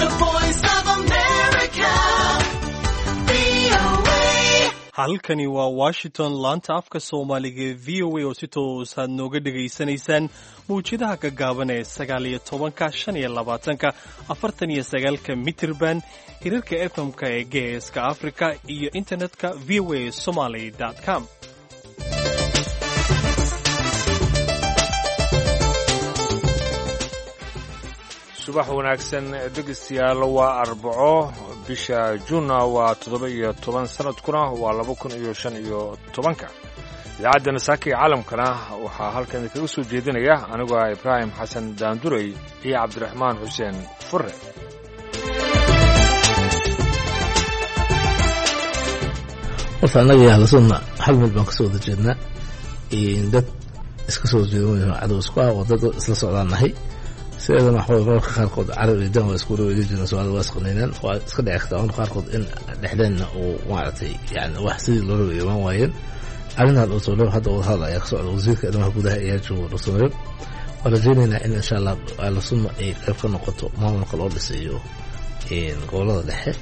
The Voice of America, VOA. Halkani waa Washington, laanta afka Soomaaliga ee VOA, oo si toos aad nooga dhegaysanaysaan mawjadaha gaggaaban ee 19-ka, 25-ka, 49-ka mitirban, hirarka FM-ka ee Geeska Afrika iyo internetka VOA Somaly com. Subax wanaagsan dhegeystayaal. Waa Arbaco, bisha Juunna waa 17, sanadkuna waa 2015-ka. Idaacadda Nasaaka iyo Caalamkana waxaa halkan idinkaga soo jeedinaya anigoo ah Ibraahim Xasan Daandurey iyo Cabdiraxmaan Xuseen Furre. Horta annaga iyo Ahlusunna hal meel baan kasoo wada jeednaa. Dad iska soo horjeeda, cadow isku ah oo dad isla socdaan nahay. Sideedana waxa waye, mararka qaarkood carab iyo dan waa isku wareegi jireen, Soomaalida waa isqaniineen. Waa iska dhici kartaa mararka qaarkood in dhexdeenna uu maaragtay yani wax sidii loo rabay imaan waayeen. Arrintan Dhuusomareeb hadda wadahadal ayaa ka socda, wasiirka arrimaha gudaha ayaa jooga Dhuusomareeb. Waan rajaynaynaa in insha Allah Ahlusunna ay qayb ka noqoto maamulka loo dhisayo gobolada dhexe.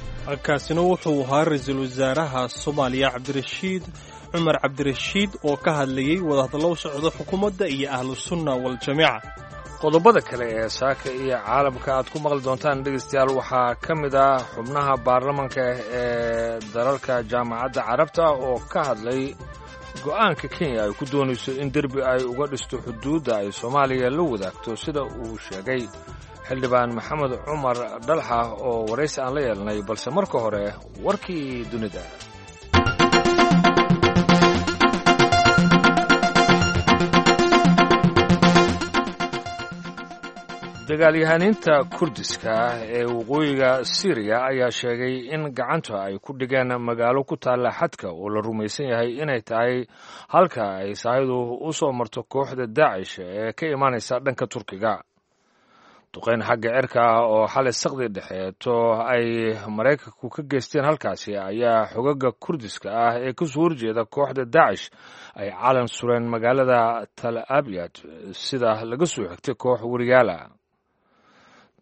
Kaasina wuxuu ahaa ra-iisul wasaaraha Soomaaliya Cabdirashiid Cumar Cabdirashiid oo ka hadlayey wadahadallo u socda xukuumadda iyo Ahlusunna Waljamiica. Qodobada kale ee Saaka iyo Caalamka aad ku maqli doontaan dhegeystayaal waxaa ka mid ah xubnaha baarlamanka ee dalalka Jaamacadda Carabta oo ka hadlay go'aanka Kenya ay ku doonayso in derbi ay uga dhisto xuduudda ay Soomaaliya la wadaagto, sida uu sheegay xildhibaan Maxamed Cumar Dhalxa oo waraysi aan la yeelnay. Balse marka hore warkii dunida. Dagaalyahaniinta Kurdiska ee waqooyiga Siiriya ayaa sheegay in gacanta ay ku dhigeen magaalo ku taalla xadka oo la rumaysan yahay inay tahay halka ay sahaydu u soo marto kooxda Daacish ee ka imaanaysa dhanka Turkiga. Duqeyn xagga cirka ah oo xalay saqdi dhexeeto ay Maraykanku ka geysteen halkaasi ayaa xogaga Kurdiska ah ee kasoo horjeeda kooxda Daacish ay calan sureen magaalada Tal Abyad, sida laga soo xigtay koox wariyaala.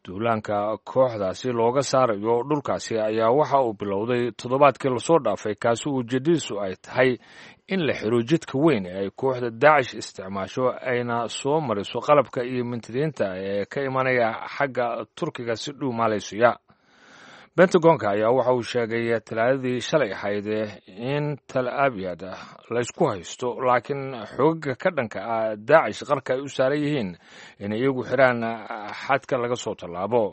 Duulaanka kooxdaasi looga saarayo dhulkaasi ayaa waxa uu bilowday toddobaadkii lasoo dhaafay, kaasi ujeedadiisu ay tahay in la xiro jidka weyn ee ay kooxda Daacish isticmaasho ayna soo mariso qalabka iyo mintidiinta ee ka imanaya xagga Turkiga si dhuumaalaysiya. Bentagonka ayaa waxa uu sheegay Talaadadii shalay ahayd in Tal Abyad laysku haysto, laakiin xogaga ka dhanka ah Daacish qarka ay u saaran yihiin inay iyagu xiraan xadka laga soo tallaabo.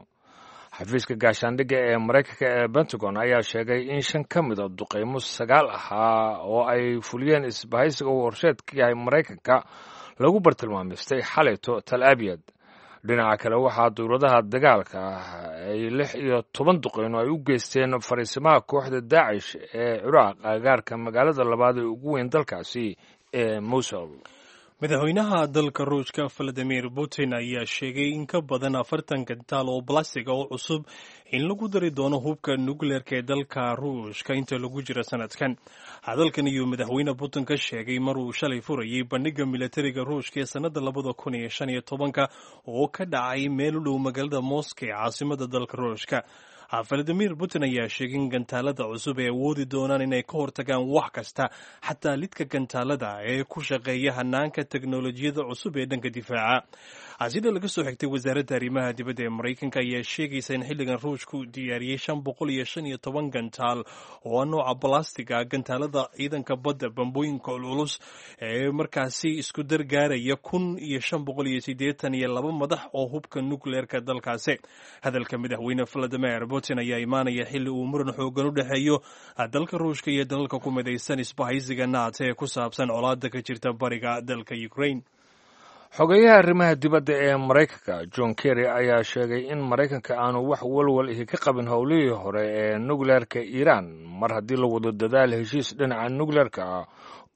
Xafiiska gaashaandhigga ee Maraykanka ee Pentagon ayaa sheegay in shan ka mida duqeymo sagaal ahaa oo ay fuliyeen isbahaysiga uu horseed ka yahay Maraykanka lagu bartilmaamaystay xalayto Tal Abyad. Dhinaca kale, waxaa dowladaha dagaalka ay 16 duqeyno ay u geysteen fariisimaha kooxda Daacish ee Ciraaq, agagaarka magaalada labaad ee ugu weyn dalkaasi ee Mosul. Madaxweynaha dalka Ruushka Valadimir Putin ayaa sheegay in ka badan 40 gantaal oo balastiga oo cusub in lagu dari doono hubka nukleerka ee dalka Ruushka inta lagu jiro sanadkan. Hadalkan ayuu madaxweyne Putin ka sheegay maruu shalay furayay bandhiga militariga Ruushka ee sannada 2015-ka oo ka dhacay meel u dhow magaalada Moscow ee caasimada dalka Ruushka. Valadimir Putin ayaa sheegay in gantaalada cusub ay awoodi doonaan inay ka hortagaan wax kasta, xataa lidka gantaalada ee ku shaqeeya hanaanka teknolojiyada cusub ee dhanka difaaca. Sida laga soo xigtay wasaaradda arrimaha dibadda ee Maraykanka ayaa sheegaysa in xilligan Ruushku diyaariyey 515 gantaal oo ah nooca balastiga, gantaalada ciidanka badda, bambooyinka culculus ee markaasi isku dargaaraya 1582 madax oo hubka nukleerka dalkaasi. Hadalka madaxweyne Valadimir Putin ayaa imaanaya xilli uu muran xoogan u dhexeeyo dalka Ruushka iyo dalalka ku midaysan isbahaysiga NATO ee ku saabsan colaada ka jirta bariga dalka Ukraine. Xogeyaha arrimaha dibadda ee Maraykanka John Kerry ayaa sheegay in Maraykanka aanu wax walwal ihi ka qabin howlihii hore ee nukleerka Iiraan, mar haddii la wado dadaal heshiis dhinaca nukleerka ah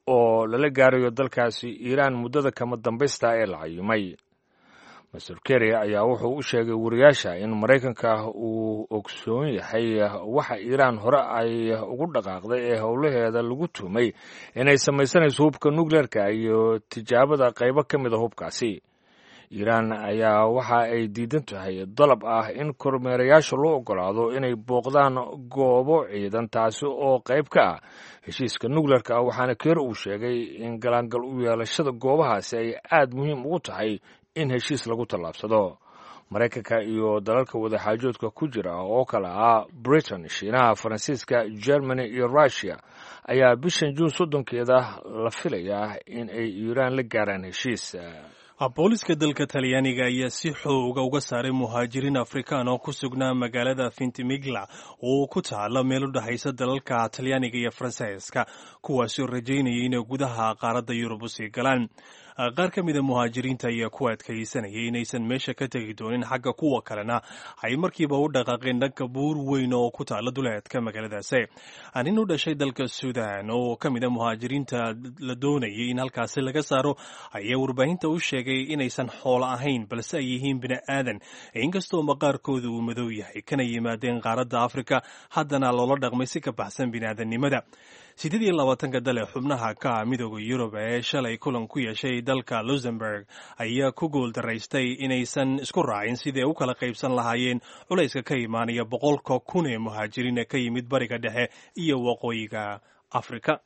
oo lala gaarayo dalkaasi Iiraan muddada kama dambaysta ee la cayimay. Master Kerry ayaa wuxuu u sheegay wariyaasha in Maraykanka uu ogsoon yahay waxa Iiraan hore ay ugu dhaqaaqday ee howlaheeda lagu tuhmay inay samaysanayso hubka nukleerka iyo tijaabada qaybo ka mid a hubkaasi. Iiraan ayaa waxa ay diidan tahay dalab ah in kormeerayaasha loo ogolaado inay booqdaan goobo ciidan, taasi oo qayb ka ah heshiiska nukleerka, waxaana Keeri uu sheegay in galaangal u yeelashada goobahaasi ay aad muhiim ugu tahay in heshiis lagu tallaabsado. Maraykanka iyo dalalka wadaxaajoodka ku jira oo kale ah Britain, Shiinaha, Faransiiska, Germany iyo Russiya ayaa bishan Juun 30-keeda la filayaa in ay Iiraan la gaaraan heshiis. Booliska dalka Talyaaniga ayaa si xooga uga saaray muhaajiriin Afrikaan oo ku sugnaa magaalada Ventimiglia oo ku taala meel u dhexaysa dalalka Talyaaniga iyo Faransiiska, kuwaasoo rajaynaya inay gudaha qaaradda Yurub usii galaan. Qaar ka mida muhaajiriinta ayaa ku adkaysanayay inaysan meesha ka tegi doonin, xagga kuwa kalena ay markiiba u dhaqaaqeen dhanka buur weyn oo ku taala duleedka magaaladaasi. Nin u dhashay dalka Suudan oo ka mida muhaajiriinta la doonayay in halkaasi laga saaro ayaa warbaahinta u sheegay inaysan xoolo ahayn, balse ay yihiin bini aadan, inkastoo maqaarkooda uu madow yahay, kana yimaadeen qaaradda Afrika, haddana loola dhaqmay si ka baxsan biniaadannimada. 28-ka dal ee xubnaha ka Midooda Yurub ee shalay kulan ku yeeshay dalka Luxemburg ayaa ku guuldaraystay inaysan isku raacin sidii ay u kala qaybsan lahaayeen culayska ka imaanaya 100,000 ee muhaajiriin ee ka yimid Bariga Dhexe iyo Waqooyiga Afrika.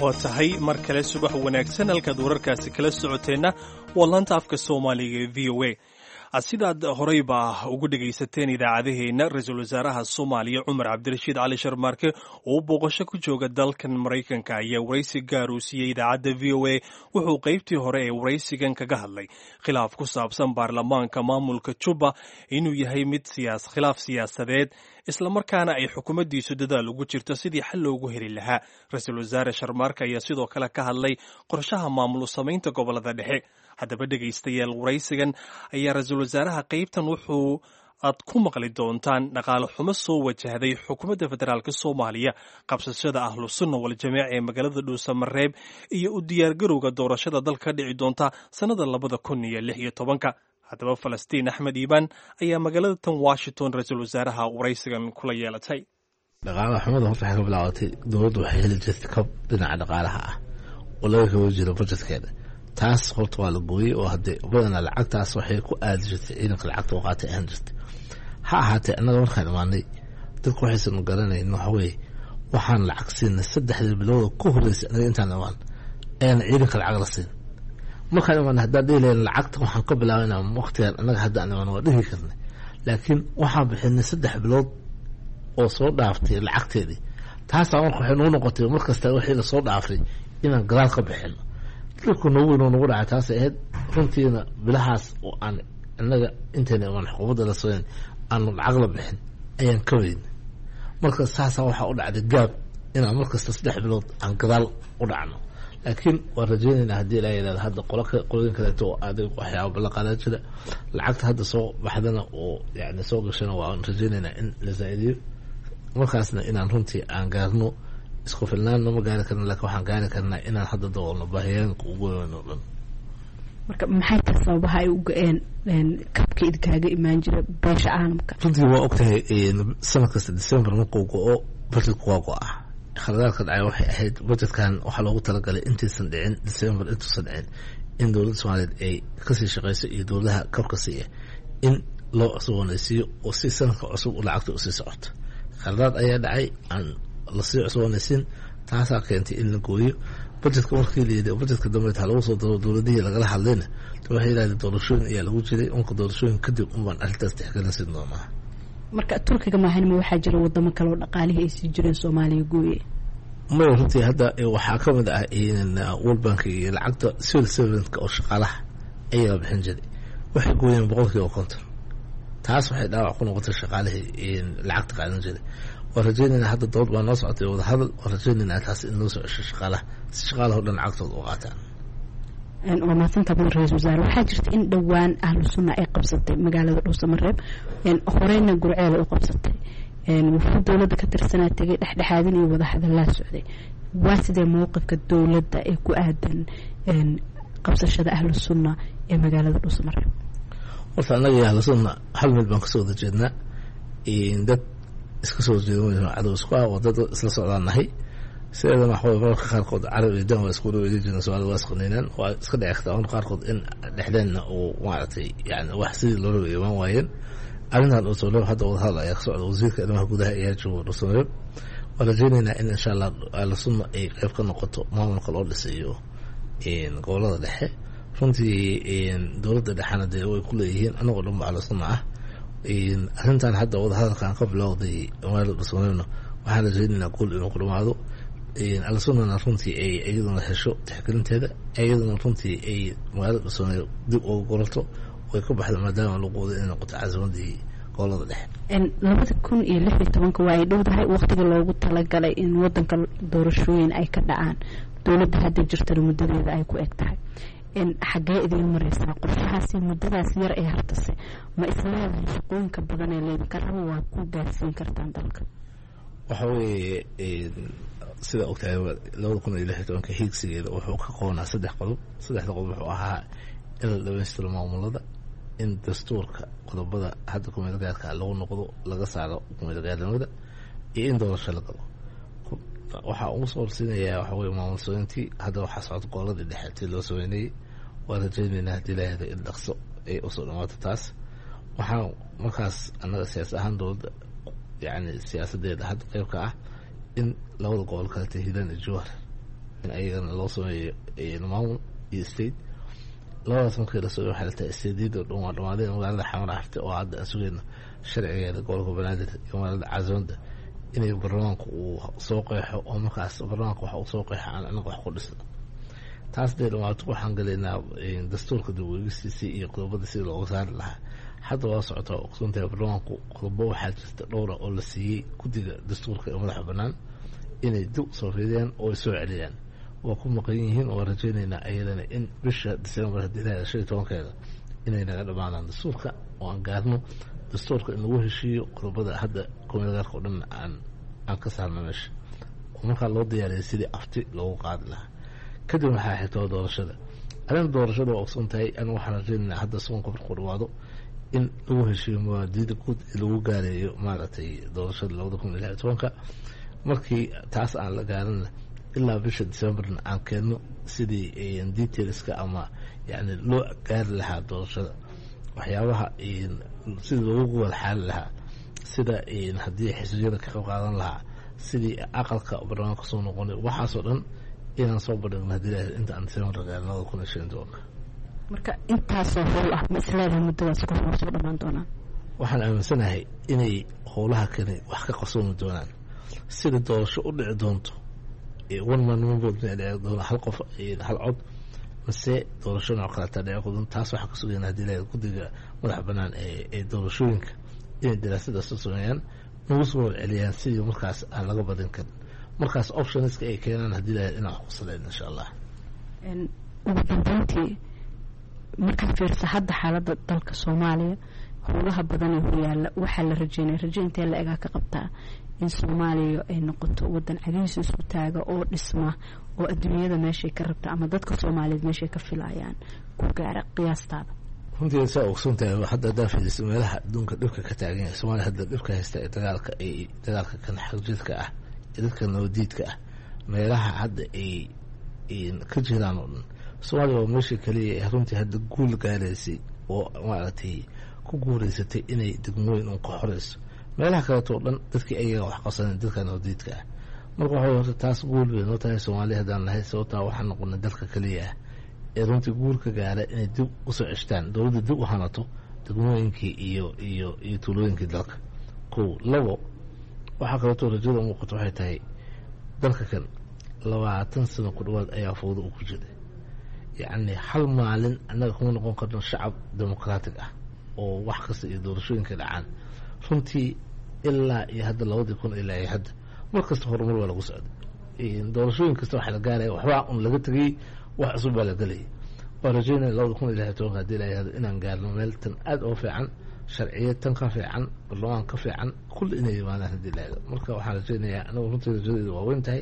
Waa tahay, mar kale subax wanaagsan. Halkaad wararkaasi kala socoteenna waa laanta afka Soomaaliga ee VOA. Sidaad horeyba ugu dhegaysateen idaacadaheenna, ra-iisul wasaaraha Soomaaliya Cumar Cabdirashiid Cali Sharmaarke oo booqasho ku jooga dalkan Maraykanka ayaa waraysi gaar uu siiyey idaacadda VOA. Wuxuu qaybtii hore ee waraysigan kaga hadlay khilaaf ku saabsan baarlamaanka maamulka Juba inuu yahay mid khilaaf siyaasadeed, islamarkaana ay xukuumaddiisu dadaal ugu jirto sidii xal loogu heli lahaa. Ra-iisul wasaare Sharmaarke ayaa sidoo kale ka hadlay qorshaha maamul samaynta gobolada dhexe. Haddaba dhegaystayaal, waraysigan ayaa ra-iisul wasaaraha qaybtan wuxuu aad ku maqli doontaan dhaqaale xumo soo wajahday xukuumadda federaalk Soomaaliya, qabsashada Ahlu Sunna Waljamaaca ee magaalada Dhuusamareeb iyo u diyaargarowga doorashada dalka ka dhici doonta sannada 2016-ka. Haddaba Falastiin Axmed Iibaan ayaa magaalada tan Washington ra-iisul wasaaraha waraysigan kula yeelatay. Dhaqaalaha xumada horta waxay ka bilaabatay, dowladdu waxay heli jirtay kab dhinaca dhaqaalaha ah oo laga kaba jiro budgetkeeda. Taas horta waa la gooyey, oo hadee badanaa lacagtaas waxay ku aadi jirtay ciidanka, lacagta u qaatay ahaan jirtay. Ha ahaatee, annaga markaan imaanay, dadku waxaysan garanayn waxa weeye, waxaan lacag siinay saddexdii bilooda ku horreysay annaga intaan imaan ayaan ciidanka lacag la siin. Markaan imaanay, haddaan dhihi lahayn lacagta waxaan ka bilaabaynaa waqtigan annaga haddaan imaan, waa dhihi karnay, laakiin waxaan bixinay 3 bilood oo soo dhaaftay lacagteedii. Taasaa marka waxay nagu noqotay mar kasta wixii la soo dhaafay inaan gadaal ka bixino. Dhulka noogu weyn oo nagu dhacay taasay ahayd runtiina, bilahaas oo aan innaga intayna imaan xukuumadda la sooyn aanu lacag la bixin ayaan ka weyn. Marka saasaa waxaa u dhacday gaab inaan markasta 3 bilood aan gadaal u dhacno, laakiin waan rajaynaynaa haddii Ilaa yidhahdo hadda qolo qolooyin kaleeto oo adag waxyaaba ballan qaadan jira, lacagta hadda soo baxdana oo yani soo gashana, waan rajaynaynaa in la zaa'idiyo, markaasna inaan runtii aan gaarno. Isku filnaanna ma gaari karna, laakiin waxaan gaari karnaa inaan hadda daboolno baahiyooyinka ugu weyn oo dhan. Marka maxay tahay sababaha ay u go-een kabka idinkaaga imaan jira beesha caalamka? Runtii waa ogtahay, sanad kasta December markuu go-o budgetku waa go-a. Khaladaadka dhacay waxay ahayd, budgetkan waxaa loogu talagalay intaysan dhicin December, intuusan dhicin, in dowladda Soomaaliyeed ay kasii shaqeyso iyo dowladaha kabka siiya in loo cusboonaysiiyo oo si sanadka cusub lacagta usii socoto. Khaladaad ayaa dhacay aan lasii cusboonaysiin, taasaa keentay in la gooyo budgetka. Markii la yidhi budgetka dambe ha lagu soo daro, dowladihii lagala hadlayna waxay yidhahdeen doorashooyin ayaa lagu jiray, unka doorashooyin kadib unbaan arrintaas tixgelin siin doonaa. Marka Turkiga maahanima, waxaa jira wadamo kale oo dhaqaalihii ay sii jireen Soomaaliya gooye? Maya, runtii hadda waxaa ka mid ah World Bank iyo lacagta civil servantka oo shaqaalaha ayaa bixin jiray, waxay gooyeen 50%. Taas waxay dhaawac ku noqotay shaqaalihii lacagta qaadan jiray. Waan rajaynaynaa, hadda dood baa noo socotay, wadahadal, waan rajaynaynaa taas in loo soo cesho shaqaalaha si shaqaalaha o dhan lacagtooda u qaataan. Waa mahadsantaa mudan ra-iisul wasaare. Waxaa jirta in dhowaan Ahlu Sunna ay qabsatay magaalada Dhuusamareeb, horeyna Gurceel ay u qabsatay. Wuxuu dowladda ka tirsanaa tegay dhexdhexaadin iyo wadahadallaa socday. Waa sidee mowqifka dowladda ee ku aadan qabsashada Ahlu Sunna ee magaalada Dhuusamareeb? Horta annaga iyo Ahlu Sunna hal mid baan kasoo wada jeednaa. Dad Iska soo jeeda cadow isku ah, waa dad isla socdaan nahay. Sideedana waxa weye mararka qaarkood carab iyo dan waa isku dhaweydin jireen, Soomaalida waa isqaniinaan, waa iska dhici kartaa marka qaarkood in dhexdeenna uu maaragtay yani wax sidii loo rabay imaan waayeen. Arrintan Dhuusamareeb hadda wadahadal ayaa ka socda, wasiirka arrimaha gudaha ayaa jooga Dhuusamareeb. Waan rajeynaynaa in insha Allah Ahlu Sunna ay qayb ka noqoto maamulka loo dhisayo gobolada dhexe. Runtii dowladda dhexena dee way ku leeyihiin, anagoo dhan ba Ahlu Sunna ah. Arrintan hadda wadahadalkan ka bilowday magaalada Dhuusamareebna waxaan rajeynaynaa guul inuu ku dhamaado, Ahlu Sunnana runtii ay iyaduna hesho tixgelinteeda, iyaduna runtii ay magaalada Dhuusamareeb dib uga gorato way ka baxda, maadaama lagu wado inay noqoto caasimadii gobolada dhexe. 2016-ka waa ay dhowdahay waqtiga loogu talagalay in wadanka doorashooyin ay ka dhacaan, dowladda hadda jirtana muddadeeda ay ku eg tahay. Xaggee idiin mareysaa qorshahaasi muddadaas yar ee hartase? Ma isleedahay shaqooyinka badan ee laydinka rabo waa ku gaarsiin kartaan dalka? Waxa weeye, sida ogtahay, 2016-ka hiigsigeeda wuxuu ka qoonaa saddex qodob. Saddexda qodob wuxuu ahaa in la dhamaystiro maamulada, in dastuurka qodobada hadda kumeelgaarka lagu noqdo, laga saaro kumeelgaarnimada, iyo in doorasho la galo. Waxaa ugu soo horsiinayaa waxa weye maamul sameyntii. Hadda waxaa socda goboladii dhexe tii loo sameynayay, waan rajeynaynaa haddii ilaahda in dhaqso ay usoo dhamaato taas. Waxaan markaas annaga siyaas ahaan dowladda yacni siyaasadeeda hadda qeyb ka ah in labada gobol kalete, Hiiraan iyo Jowhar, in ayagana loo sameeyo maamul iyo state. Labadaas markii la sameeyo waxay la tahay stateyada dhan waa dhamaadeen. Magaalada Xamar hartay oo hadda aan sugayno sharcigeeda, gobolka Banaadir iyo magaalada caasimadda inay baarlamaanku uu soo qeexo, oo markaas baarlamaanka waxa uu soo qeexo aan anaga wax ku dhisno. Taas dee dhamaato waxaan galaynaa dastuurka dib u eegistiisii iyo qodobada sidii looga saari lahaa. Hadda waa socotaa, ogsoontahay, baarlamaanku qodobo waxaa jirta dhowra oo la siiyey guddiga dastuurka ee madaxa bannaan inay dib usoo fiidiyaan oo ay soo celiyaan. Waa ku maqan yihiin, oo rajeynaynaa ayadana in bisha December haddii ilahay 15-keeda inay naga dhamaadaan dastuurka, oo aan gaarno dastuurka in lagu heshiiyo, qodobada hadda kumeelgaarka oo dhan aan ka saarno meesha, oo markaa loo diyaariyay sidii afti loogu qaadi lahaa. Kadib waxaa xigtoo doorashada. Arrinta doorashada waa ogsoon tahay, anigu waxaan rajeynaynaa hadda soonka markuu dhawaado in lagu heshiiyo mawaadiida guud ee lagu gaareeyo maaragtay doorashada 2016-ka. Markii taas aan la gaarinna, ilaa bisha Decemberna aan keenno sidii detailska ama yani loo gaari lahaa doorashada, waxyaabaha sidii loogu wada xaali lahaa, sida haddii xisbiyada ka qayb qaadan lahaa, sidii aqalka barlamaanka soo noqonay, waxaasoo dhan inaan soo bandhigno haddii ilahay inta aan December gaarin 2015-ka. Marka intaasoo howl ah ma isleedahay muddadaas ka hor soo dhamaan doonaan? Waxaan aaminsanahay inay howlaha kani wax ka qabsoomi doonaan. Sida doorasho u dhici doonto, one man one vote ma dhici doona, hal qof hal cod, mase doorasho nooc kaleeta dhici doonto, taas waxaa ka sugayna haddii ilahay guddiga madaxa bannaan ee doorashooyinka inay daraasadaas u sameeyaan, nagu soo warceliyaan sidii markaas aan laga badin karin, markaas optionska ay keenaan haddii ilahay inaan wax ku saleyn insha Allah. Ugu dambeyntii, markaad fiirsa hadda xaaladda dalka Soomaaliya, howlaha badan ee horyaalla, waxaa la rajeynaya, rajo intee la egaa ka qabtaa in Soomaaliya ay noqoto wadan cagihiisa isku taaga oo dhisma, oo adduunyada meeshay ka rabta ama dadka Soomaaliyeed meeshay ka filayaan ku gaara, qiyaastaada? Runtii saa ogsoon tahay, hadda haddaa fiiriso meelaha adduunka dhibka ka taagan yahay, Soomaaliya hadda dhibka haysta ee dagaalka, ay dagaalka kan xagjidka ah ee dadka nabadiidka ah, meelaha hadda ay ka jiraan oo dhan, Soomaaliya waa meesha kaliya ee runtii hadda guul gaaraysay oo maaragtay ku guureysatay inay degmooyin un ka xoreyso. Meelaha kaleeto o dhan dadkii ayaga wax qabsaneen dadka nabadiidka ah. Marka waxa horta taas guul bay noo tahay Soomaaliya haddaan nahay, sababtaa waxaan noqonay dalka kaliya ah ee runtii guul ka gaara inay dib usoo ceshtaan, dowladda dib u hanato degmooyinkii iyo tuulooyinkii dalka. Kow labo, waxaa kaleeto rajada muuqato waxay tahay dalka kan 20 sano ku dhawaad ayaa fowda uu ku jiray. Yacni hal maalin annaga kuma noqon karno shacab dimuqraatig ah oo wax kasta iyo doorashooyinka dhacaan. Runtii ilaa iyo hadda 2000 ilaa iyo hadda mar kasta horumar waa lagu socday, doorashooyin kasta waxa la gaaraya waxbaa un laga tegay, wax cusub baa la gelayay. Waan rajeynaya 2016-ka haddii la yihahdo inaan gaarno meel tan aada oo fiican, sharciyad tan ka fiican, barlamaan ka fiican, kulli inay yimaadaan haddii la yihahdo. Marka waxaan rajeynayaa anagu runtii rajadeedu waa weyn tahay,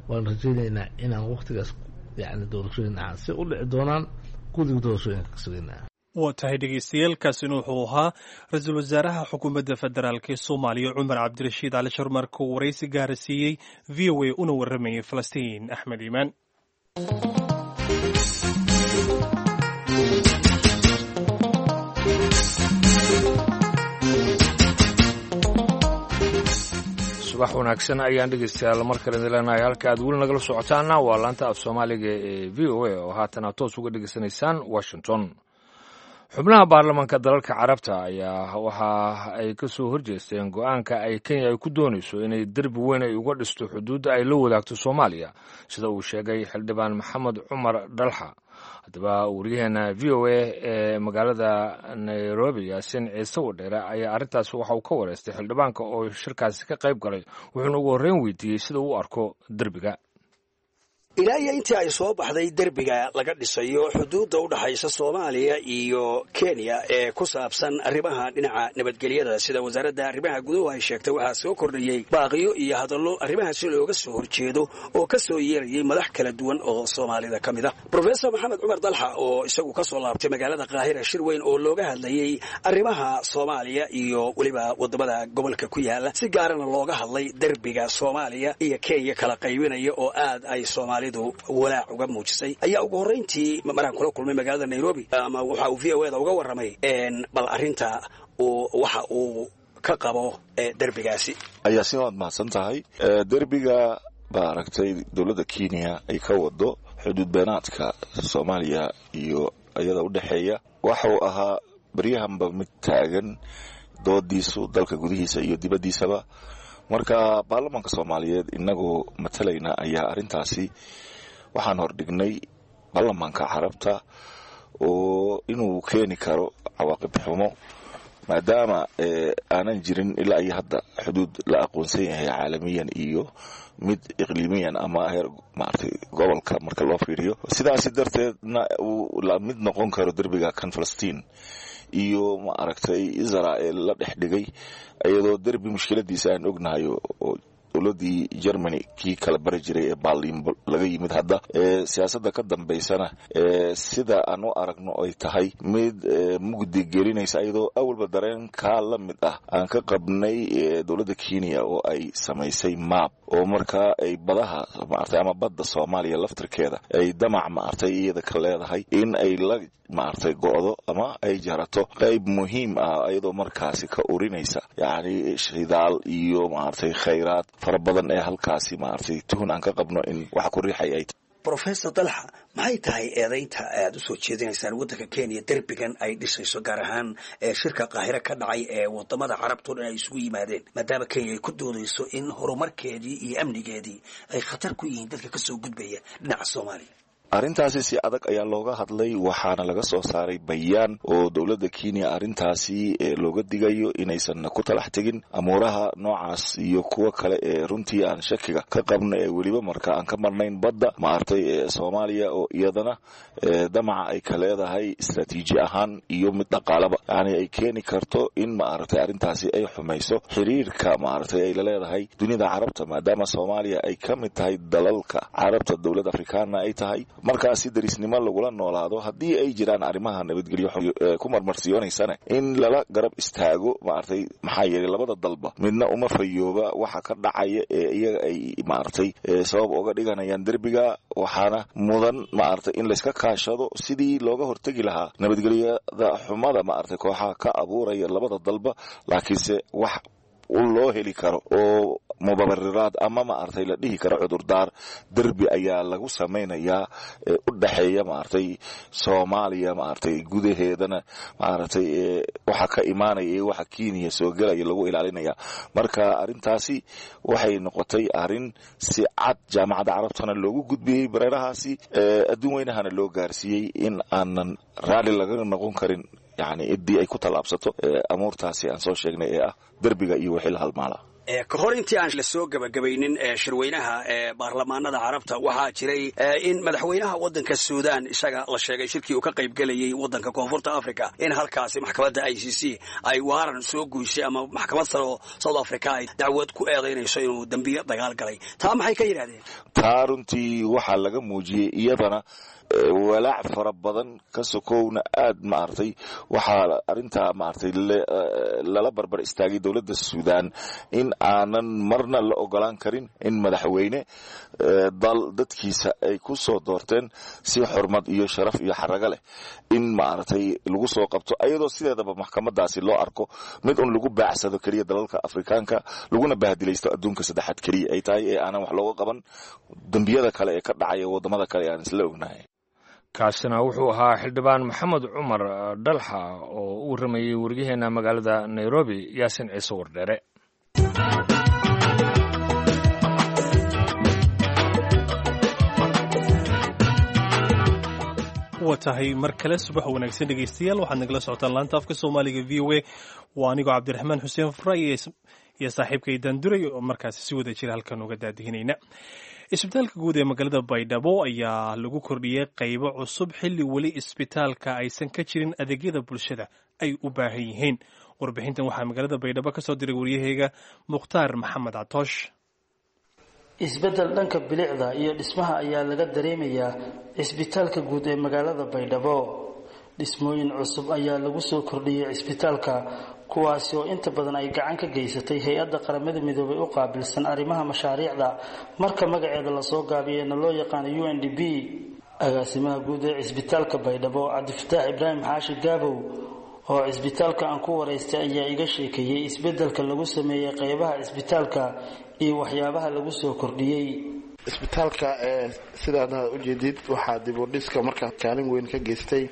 waan rajeynaynaa inaan waqtigaas yacni doorashooyin dhacaan si u dhici doonaan, guddiga doorashooyinka ka sugaynaa. Waa tahay dhegeystayaal, kaasina wuxuu ahaa ra-iisul wasaaraha xukuumadda federaalk ee Soomaaliya Cumar Cabdirashiid Cali Sharmarka uu waraysi gaara siiyey VOA una waramayay Falastiin Axmed Iimaan. Subax wanaagsan ayaan dhegeystayaal mar kale idin leenahay. Halka aad weli nagala socotaana waa laanta af Soomaaliga ee VOA oo haatan aad toos uga dhegeysanaysaan Washington. Xubnaha baarlamaanka dalalka Carabta ayaa waxa ay ka soo horjeesteen go-aanka ay Kenya ay ku doonayso inay derbi weyn ay uga dhisto xuduudda ay la wadaagto Soomaaliya, sida uu sheegay xildhibaan Maxamed Cumar Dhalxa. Haddaba wariyaheena VOA ee magaalada Nairobi, Yaasin Ciise Wadheere, ayaa arrintaasi waxa uu ka wareystay xildhibaanka oo shirkaasi ka qayb galay, wuxuuna ugu horreyn weydiiyey sida uu u arko derbiga. Ilaa iyo intii ay soo baxday derbiga laga dhisayo xuduudda u dhaxaysa Soomaaliya iyo Kenya ee ku saabsan arrimaha dhinaca nabadgelyada, sida wasaaradda arrimaha guduhu ay sheegtay, waxaa soo kordhayey baaqiyo iyo hadallo arrimahaasi looga soo horjeedo oo ka soo yeerayay madax kala duwan oo Soomaalida ka mid ah. Brofesor Maxamed Cumar Dalxa oo isagu ka soo laabtay magaalada Qaahira shir weyn oo looga hadlayey arrimaha Soomaaliya iyo weliba waddamada gobolka ku yaala, si gaarana looga hadlay derbiga Soomaaliya iyo Kenya kala qaybinaya oo aad ay Soomaali walaac uga muujisay, ayaa ugu horrayntii maraan kula kulmay magaalada Nairobi ama waxa uu VOA da uga warramay bal arrinta uu waxa uu ka qabo derbigaasi. Ayaasin, waad mahadsan tahay. Derbiga baa aragtay dowladda Kenya ay ka wado xuduud beenaadka Soomaaliya iyo iyada u dhexeeya waxuu ahaa baryahanba mid taagan doodiisu dalka gudihiisa iyo dibaddiisaba. Marka baarlamaanka Soomaaliyeed inagoo matalayna ayaa arrintaasi waxaan hordhignay baarlamaanka Carabta oo inuu keeni karo cawaaqib xumo, maadaama aanan jirin ilaa iyo hadda xuduud la aqoonsan yahay caalamiyan iyo mid iqliimiyan ama heer maaragtay gobolka marka loo fiiriyo. Sidaasi darteedna uu la mid noqon karo derbiga kan Falastiin iyo maaragtay Israel la dhex dhigay, iyadoo derbi mushkiladiisa aan ognahay oo dowladii Germany kii kala bari jiray ee Berlin laga yimid, hadda siyaasadda ka dambaysana sida aan u aragno ay tahay mid mugdi gelinaysa, iyadoo awalba dareenkaa la mid ah aan ka qabnay dowladda Kenya oo ay samaysay map oo markaa ay badaha maaragtay ama badda Soomaaliya laftirkeeda ay damac maaragtay iyada ka leedahay in ay la maaragtay go'do ama ay jarato qayb muhiim ah, iyadoo markaasi ka urinaysa yacni shidaal iyo maaragtay khayraad fara badan ee halkaasi maaragtay tuhun aan ka qabno in wax ku riixay ay tahay. Brofesor Dalxa, maxay tahay eedaynta aad u soo jeedinaysaan waddanka Kenya derbigan ay dhisayso, gaar ahaan ee shirka Qaahire ka dhacay ee wadamada Carabtao dhan ay isugu yimaadeen, maadaama Kenya ay ku doodayso in horumarkeedii iyo amnigeedii ay khatar ku yihiin dadka kasoo gudbaya dhinaca Soomaaliya? Arrintaasi si adag ayaa looga hadlay, waxaana laga soo saaray bayaan oo dowladda Kenya arrintaasi looga digayo inaysan ku talax tegin amuuraha noocaas iyo kuwo kale ee runtii aan shakiga ka qabno, ee weliba marka aan ka marnayn badda maaragtay ee Soomaaliya oo iyadana damaca ay ka leedahay istaraatiiji ahaan iyo mid dhaqaalaba, yacni ay keeni karto in maaragtay arrintaasi ay xumayso xiriirka maaragtay ay la leedahay dunida Carabta, maadaama Soomaaliya ay ka mid tahay dalalka Carabta, dowlad Afrikaanna ay tahay. Markaasi darisnimo lagula noolaado, haddii ay jiraan arrimaha nabadgelyo ku marmarsiyoonaysana in lala garab istaago maaragtay, maxaa yeelay labada dalba midna uma fayooba waxa ka dhacaya ee iyaga ay maaragtay sabab uga dhiganayaan derbiga. Waxaana mudan maaragtay in layska kaashado sidii looga hortegi lahaa nabadgelyada xumada maaragtay kooxaha ka abuuraya labada dalba, laakiinse wax loo heli karo oo mubabariraad ama maaragtay la dhihi karo cudurdaar derbi ayaa lagu samaynayaa ee u dhexeeya maaragtay Soomaaliya maaragtay gudaheedana maaragtay waxa ka imaanaya iyo waxa Kenya soo gelaya lagu ilaalinaya. Marka arrintaasi waxay noqotay arrin si cad Jaamacadda Carabtana loogu gudbiyey, bareerahaasi adduun weynahana loo gaarsiiyey in aanan raalli laga noqon karin, yacni ciddii ay ku tallaabsato amuurtaasi aan soo sheegnay ee ah derbiga iyo wixii la halmaala. Ka hor intii aan la soo gebagabaynin shirweynaha baarlamaanada Carabta, waxaa jiray in madaxweynaha waddanka Suudaan isaga la sheegay shirkii uu ka qaybgelayay waddanka Koonfurta Africa in halkaasi maxkamadda ICC ay waaran soo guysay, ama maxkamad sare oo South Africa ay dacwad ku eedaynayso inuu dembiyo dagaal galay. Taa maxay ka yidhahdeen? Taa runtii waxaa laga muujiyey iyadana walaac fara badan ka sokowna aad maaragtay waxaa arrintaa maaragtay lala barbar istaagay dowladda Suudaan in aanan marna la ogolaan karin in madaxweyne dal dadkiisa ay ku soo doorteen si xurmad iyo sharaf iyo xarago leh in maaragtay lagu soo qabto, ayadoo sideedaba maxkamadaasi loo arko mid un lagu baacsado keliya dalalka Afrikaanka, laguna bahdilaysto adduunka saddexaad keliya ay tahay, ee aanan wax looga qaban dembiyada kale ee ka dhacaya waddamada kale ee aan isla ognahay. Kaasina wuxuu ahaa xildhibaan Maxamed Cumar Dhalxa oo u warramayey waryaheena magaalada Nairobi, Yaasin Ciise Wardheere. Wa tahay, mar kale subax wanaagsan dhegeystayaal. Waxaad nagala socotaan laanta afka Soomaaliga VOA. Waa anigoo Cabdiraxmaan Xuseen Fura iyo saaxiibkay Daanduray oo markaasi si wada jira halkan uga daadihinayna. Isbitaalka guud ee magaalada Baydhabo ayaa lagu kordhiyey qaybo cusub xilli weli isbitaalka aysan ka jirin adeegyada bulshada ay u baahan yihiin. Warbixintan waxaa magaalada Baydhabo ka soo diray waryaheyga Mukhtaar Maxamed Catoosh. Isbeddel dhanka bilicda iyo dhismaha ayaa laga dareemayaa cisbitaalka guud ee magaalada Baydhabo. Dhismooyin cusub ayaa lagu soo kordhiyey cisbitaalka, kuwaasi oo inta badan ay gacan ka geysatay hay-adda Qaramada Midoobay u qaabilsan arrimaha mashaariicda, marka magaceeda lasoo gaabiyeyna loo yaqaano UNDP. Agaasimaha guud ee cisbitaalka Baydhabo, Cabdifataax Ibraahim Xaashi Gaabow, oo cisbitaalka aan ku waraystay, ayaa iga sheekeeyey isbeddelka lagu sameeyey qeybaha cisbitaalka iyo waxyaabaha lagu soo kordhiyey. Isbitaalka ee sidaad ujeedid waxaa dib u dhiska markaa kaalin weyn ka geystay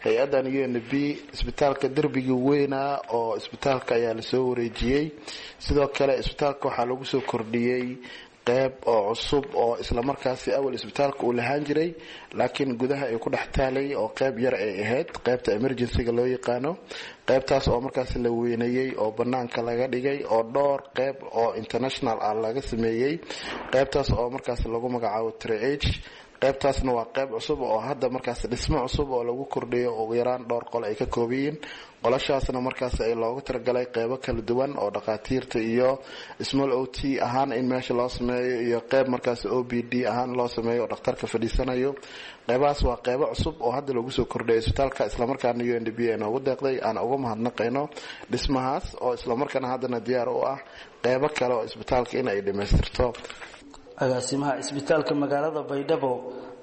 hay-addan UNB. Isbitaalka derbigii weynaa oo isbitaalka ayaa lasoo wareejiyey. Sidoo kale isbitaalka waxaa lagu soo kordhiyey qeyb oo cusub oo islamarkaasi awal isbitaalka uu lahaan jiray, laakiin gudaha ay ku dhex taalay oo qeyb yar ay ahayd, qeybta emergencyga loo yaqaano. Qeybtaas oo markaas la weyneeyey oo banaanka laga dhigay oo dhowr qeyb oo international ah laga sameeyey, qeybtaas oo markaas lagu magacaabo triage. Qaybtaasna waa qayb cusub oo hadda markaas dhismo cusub oo lagu kordhiyo, ugu yaraan dhowr qol ay ka koobayiin. Qolashaasna markaas ay loogu talagalay qeybo kala duwan oo dhakhaatiirta iyo small OT ahaan in meesha loo sameeyo, iyo qeyb markaas OPD ahaan loo sameeyo oo dhakhtarka fadhiisanayo. Qeybahaas waa qeybo cusub oo hadda lagu soo kordhiyay isbitaalka, islamarkaana UNDP ay noogu deeqday, aan uga mahadnaqayno dhismahaas oo islamarkaana haddana diyaar u ah qeybo kale oo isbitaalka in ay dhammaystirto. Agaasimaha cisbitaalka magaalada Baydhabo,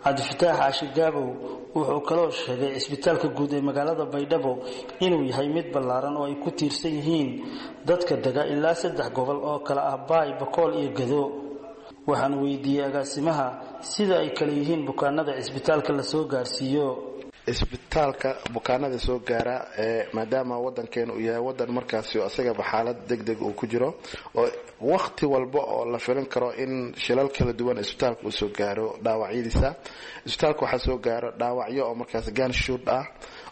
Cabdifataax Xaashi Gaabow, wuxuu kaloo sheegay cisbitaalka guud ee magaalada Baydhabo inuu yahay mid ballaaran oo ay ku tiirsan yihiin dadka dega ilaa saddex gobol oo kale ah Baay, Bakool iyo Gado. Waxaan weydiiyey agaasimaha sida ay kale yihiin bukaanada cisbitaalka lasoo gaarsiiyo. Isbitaalka bukaanada soo gaara ee maadaama wadankeena uu yahay wadan markaasi isagaba xaalad deg deg uu ku jiro, oo wakhti walba oo la filin karo in shilal kala duwan isbitaalka uu soo gaaro dhaawacyadiisa. Isbitaalka waxaa soo gaaro dhaawacyo oo markaas ganshoot ah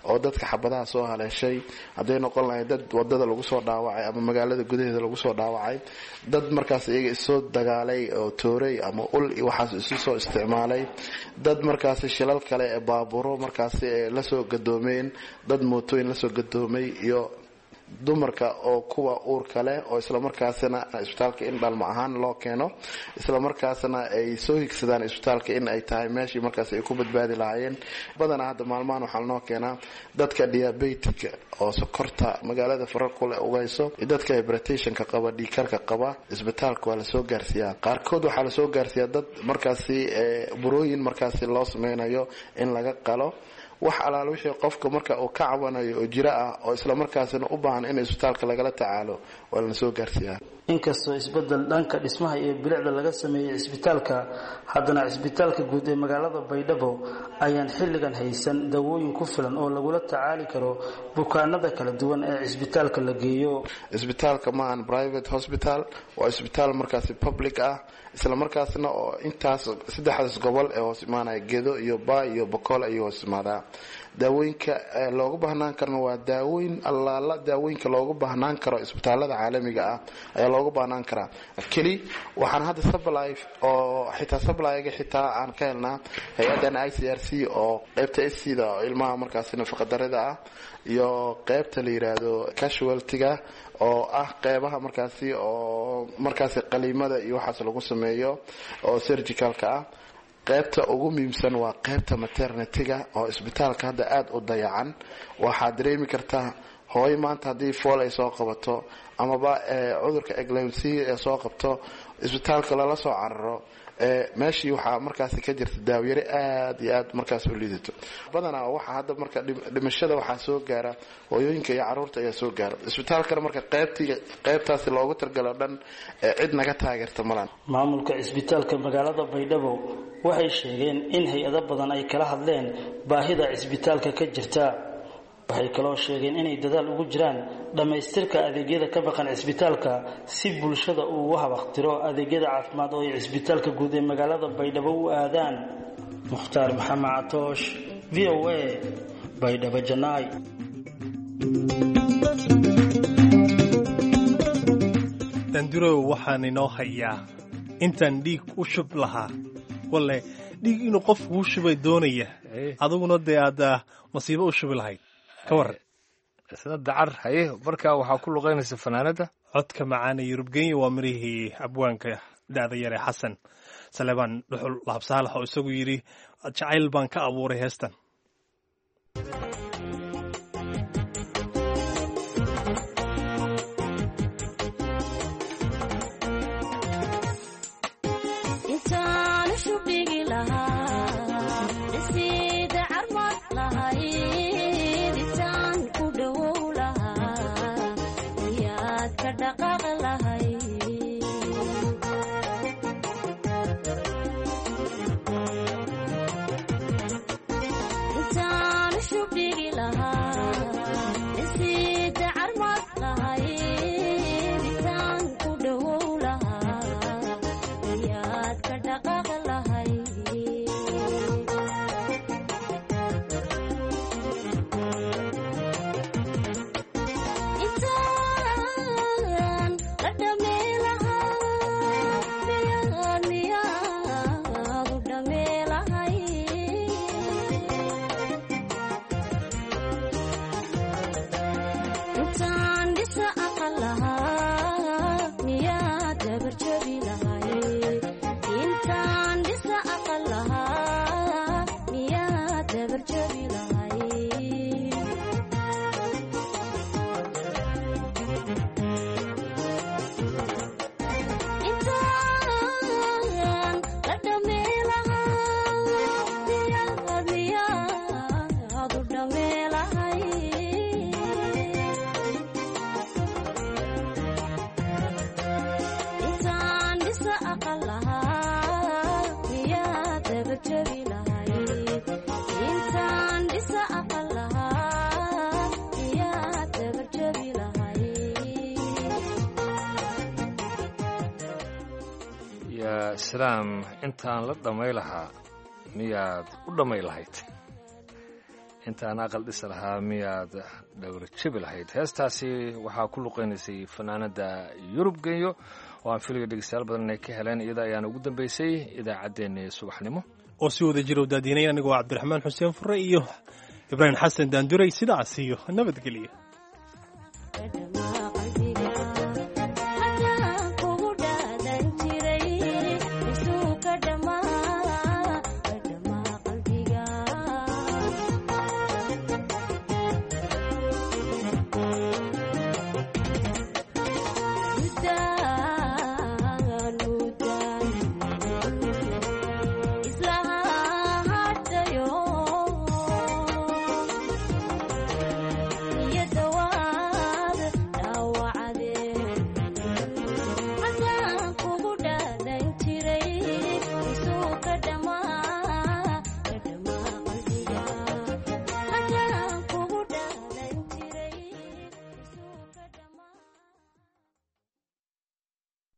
oo dadka xabadaha soo haleeshay, hadday noqon lahayd dad wadada lagu soo dhaawacay ama magaalada gudaheeda lagu soo dhaawacay, dad markaas iyaga isoo dagaalay oo tooray ama ul iyo waxaas isu soo isticmaalay, dad markaasi shilal kale ee baaburo markaasi ee lasoo gadoomeen, dad mootooyin lasoo gadoomay, iyo dumarka oo kuwa uurka leh oo islamarkaasina isbitaalka in dhalmo ahaan loo keeno, islamarkaasna ay soo higsadaan isbitaalka in ay tahay meeshii markaas ay ku badbaadi lahaayeen. Badanaa hadda maalmahan waxaa lanoo keenaa dadka diabetica oo sokorta magaalada farar kule uga hayso, iyo dadka hypertensionka qaba, dhiigkarka qaba. Isbitaalka waa lasoo gaarsiiyaa. Qaarkood waxaa lasoo gaarsiiyaa dad markaasi burooyin markaasi loo sameynayo in laga qalo. Wax alaal wixii qofka marka uu ka cabanayo oo jiro ah oo islamarkaasina u baahan in isbitaalka lagala tacaalo waa lana soo gaarsiiyaa. Inkastoo isbeddel dhanka dhismaha iyo bilicda laga sameeyey cisbitaalka, haddana cisbitaalka guud ee magaalada Baydhabo ayaan xilligan haysan dawooyin ku filan oo lagula tacaali karo bukaanada kala duwan ee cisbitaalka la geeyo. Isbitaalka maahan private hospital, waa isbitaal markaasi public ah, islamarkaasna oo intaas saddexdaas gobol ee hoos imaanaya, Gedo iyo Baa iyo Bakool, ayuu hoos imaadaa. Daawooyinka loogu baahnaan karana waa daawooyin allaala daawooyinka loogu baahnaan karo isbitaalada caalamiga ah ayaa loogu baahnaan karaa. Keli waxaan hadda supply oo xitaa supplyga xitaa aan ka helnaa hay-adan ICRC oo qaybta SC-da oo ilmaha markaasi nafaqadarida ah iyo qaybta la yiraahdo casualty-ga oo ah qeybaha markaasi oo markaasi qaliimada iyo waxaas lagu sameeyo oo surgicalka ah. Qaybta ugu muhiimsan waa qaybta maternity-ga oo isbitaalka hadda aada u dayacan. Waxaad dareemi kartaa hooyo maanta haddii fool ay soo qabato amaba cudurka eclampsia ee soo qabto, isbitaalka lala soo cararo, meeshii waxaa markaasi ka jirta daawyare aada iyo aad markaas u liidato. Badanaa waxaa hadda marka dhimashada waxaa soo gaara hooyooyinka iyo caruurta ayaa soo gaara isbitaalkana. Marka qaybtii qaybtaasi loogu targalo dhan cid naga taageerta malan. Maamulka cisbitaalka magaalada Baydhabo waxay sheegeen in hay-ado badan ay kala hadleen baahida cisbitaalka ka jirta. Waxay kaloo sheegeen inay dadaal ugu jiraan dhammaystirka adeegyada ka baqan cisbitaalka si bulshada uu ugu habaqtiro adeegyada caafimaad oo ay cisbitaalka guud ee magaalada Baydhabo u aadaan. Mukhtaar Maxamed Catoosh, VOA, Baydhabo Janaay. Dandurow, waxaan inoo hayaa intaan dhiig u shub lahaa. Walle dhiig inuu qofku u shubay doonaya, adiguna dee aad masiibo u shubi lahayd, ka waran? Isna dacar haye. Marka waxaa ku luqaynaysa fanaanada codka macaana Yurub Genya. Waa mirihii abwaanka da'da yare Xasan Salebaan Dhuxul Laabsaalax oo isagu yidhi jacayl baan ka abuuray heestan. Yaa salaam, intaan la dhammay lahaa miyaad u dhammay lahayd? Intaan aqal dhisi lahaa miyaad dhowr jabi lahayd? Heestaasi waxaa ku luqaynaysay fanaanada Yurub Genyo oo aan filiga dhegeystayaal badan inay ka heleen. Iyada ayaana ugu dambeysay idaacaddeenii subaxnimo oo si wada jira u daadiinay anigoo Cabdiraxmaan Xuseen Fure iyo Ibraahim Xasan Daanduray. Sidaas iyo nabadgelyo.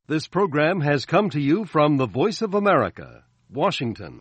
This program has come to you from the Voice of America, Washington.